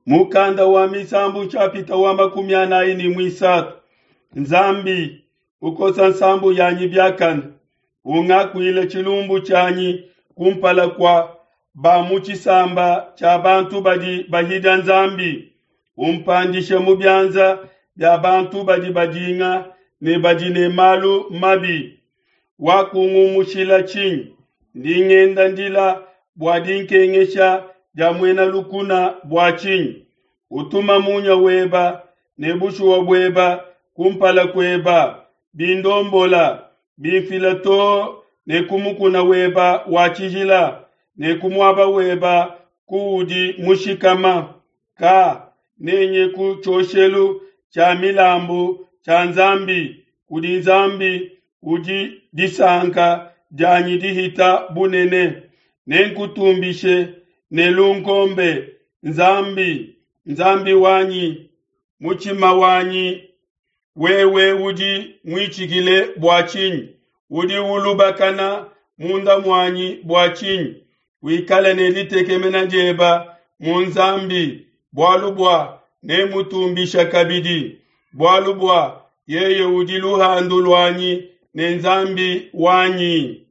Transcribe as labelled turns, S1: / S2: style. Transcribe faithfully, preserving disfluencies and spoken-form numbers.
S1: Mukanda wa Misambu nshapita wa makumi anayi ne muisatu. Nzambi ukosa nsambu yanyi biakane, ungakuile tshilumbu tshianyi kumpala kua ba mu tshisamba tshia bantu badi bahidia Nzambi, umpandishe mu bianza bia bantu badi badinga ne badi ne malu mabi. Wakungumushila tshinyi? Ndi ngenda ndila bua dinkengesha dia muena lukuna bua tshinyi? Utuma munya weba ne bushuwa bueba kumpala kueba, bindombola, bimfila too ne ku mukuna weba wa tshijila ne ku muaba weba kuudi mushikama. Ka nenye ku tshioshelu tshia milambu tshia Nzambi, kudi Nzambi udi disanka dianyi dihita bunene. Nenkutumbishe ne lunkombe, Nzambi, Nzambi wanyi, mutshima wanyi wewe udi muitshikile bua tshinyi? Udi ulubakana munda muanyi bua tshinyi? Wikale ne ditekemena dieba mu Nzambi, bualu bua nemutumbisha kabidi, bualu bua yeye udi luhandu luanyi ne Nzambi wanyi.